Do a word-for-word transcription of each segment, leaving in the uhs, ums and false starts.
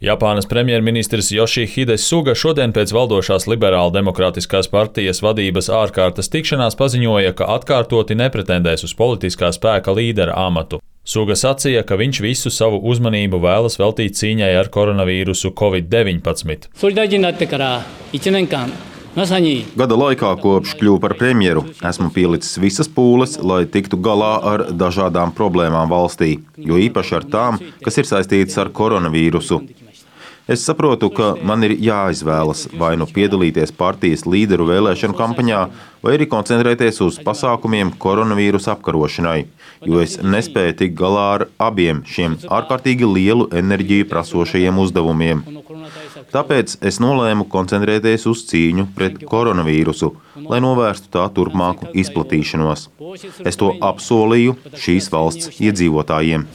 Japānas premjerministrs Yoshihide Suga šodien pēc valdošās liberāla demokrātiskās partijas vadības ārkārtas tikšanās paziņoja, ka atkārtoti nepretendēs uz politiskā spēka līdera amatu. Suga sacīja, ka viņš visu savu uzmanību vēlas veltīt cīņai ar koronavīrusu covid deviņpadsmit. Gada laikā, kopš kļuvu par premjeru, esmu pielicis visas pūles, lai tiktu galā ar dažādām problēmām valstī, jo īpaši ar tām, kas ir saistītas ar koronavīrusu. Es saprotu, ka man ir jāizvēlas vai nu piedalīties partijas līderu vēlēšanu kampaņā, vai arī koncentrēties uz pasākumiem koronavīrusa apkarošanai, jo es nespēju tikt galā ar abiem šiem ārkārtīgi lielu enerģiju prasošajiem uzdevumiem. Tāpēc es nolēmu koncentrēties uz cīņu pret koronavīrusu, lai novērstu tā turpmāku izplatīšanos. Es to apsolīju šīs valsts iedzīvotājiem.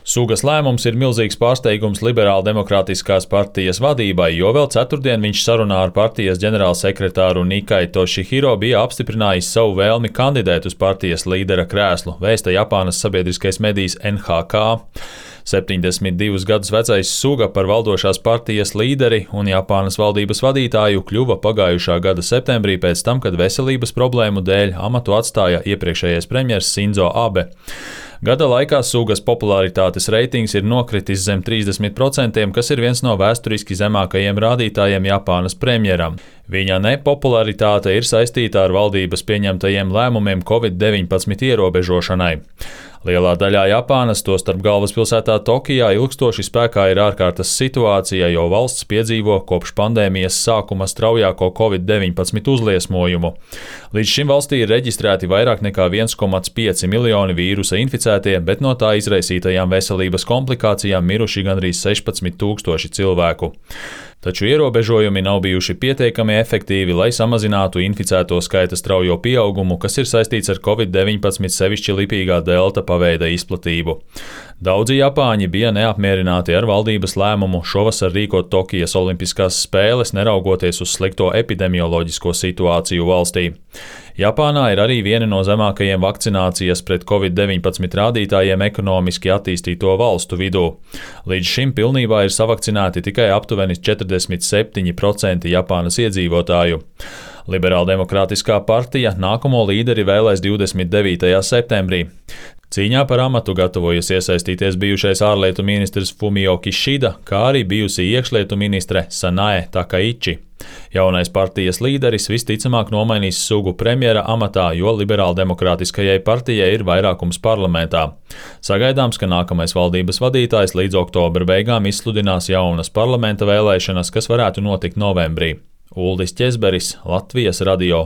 Sugas lēmums ir milzīgs pārsteigums liberāla demokrātiskās partijas vadībai, jo vēl ceturtdien viņš sarunā ar partijas ģenerālsekretāru Nikai Toshihiro bija apstiprinājis savu vēlmi kandidēt uz partijas līdera krēslu, vēsta Japānas sabiedriskais medijs N H K. septiņdesmit divus gadus vecais Suga par valdošās partijas līderi un Japānas valdības vadītāju kļuva pagājušā gada septembrī pēc tam, kad veselības problēmu dēļ amatu atstāja iepriekšējais premjers Sinzo Abe. Gada laikā Sugas popularitātes reitings ir nokritis zem trīsdesmit procentiem, kas ir viens no vēsturiski zemākajiem rādītājiem Japānas premjeram. Viņa nepopularitāte ir saistīta ar valdības pieņemtajiem lēmumiem covid deviņpadsmit ierobežošanai. Lielā daļā Japānas, tostarp galvaspilsētā Tokijā, ilgstoši spēkā ir ārkārtas situācija, jo valsts piedzīvo kopš pandēmijas sākuma straujāko covid deviņpadsmit uzliesmojumu. Līdz šim valstī ir reģistrēti vairāk nekā viens komats pieci miljoni vīrusa inficētie, bet no tā izraisītajām veselības komplikācijām miruši gandrīz sešpadsmit tūkstoši cilvēku. Taču ierobežojumi nav bijuši pietiekami efektīvi, lai samazinātu inficēto skaita straujo pieaugumu, kas ir saistīts ar covid deviņpadsmit sevišķi lipīgā delta paveida izplatību. Daudzi japāņi bija neapmierināti ar valdības lēmumu šovasar rīkot Tokijas olimpiskās spēles, neraugoties uz slikto epidemioloģisko situāciju valstī. Japānā ir arī viena no zemākajiem vakcinācijas pret covid deviņpadsmit rādītājiem ekonomiski attīstīto valstu vidū. Līdz šim pilnībā ir savakcinēti tikai aptuveni četrdesmit septiņi procenti Japānas iedzīvotāju. Liberāldemokrātiskā partija nākamo līderi vēlēs divdesmit devītajā septembrī. Cīņā par amatu gatavojas iesaistīties bijušais ārlietu ministrs Fumio Kishida, kā arī bijusī iekšlietu ministre Sanae Takaichi. Jaunais partijas līderis visticamāk nomainīs Sugu premjera amatā, jo liberāldemokrātiskajai partijai ir vairākums parlamentā. Sagaidāms, ka nākamais valdības vadītājs līdz oktobra beigām izsludinās jaunas parlamenta vēlēšanas, kas varētu notikt novembrī. Uldis Ķezberis, Latvijas radio.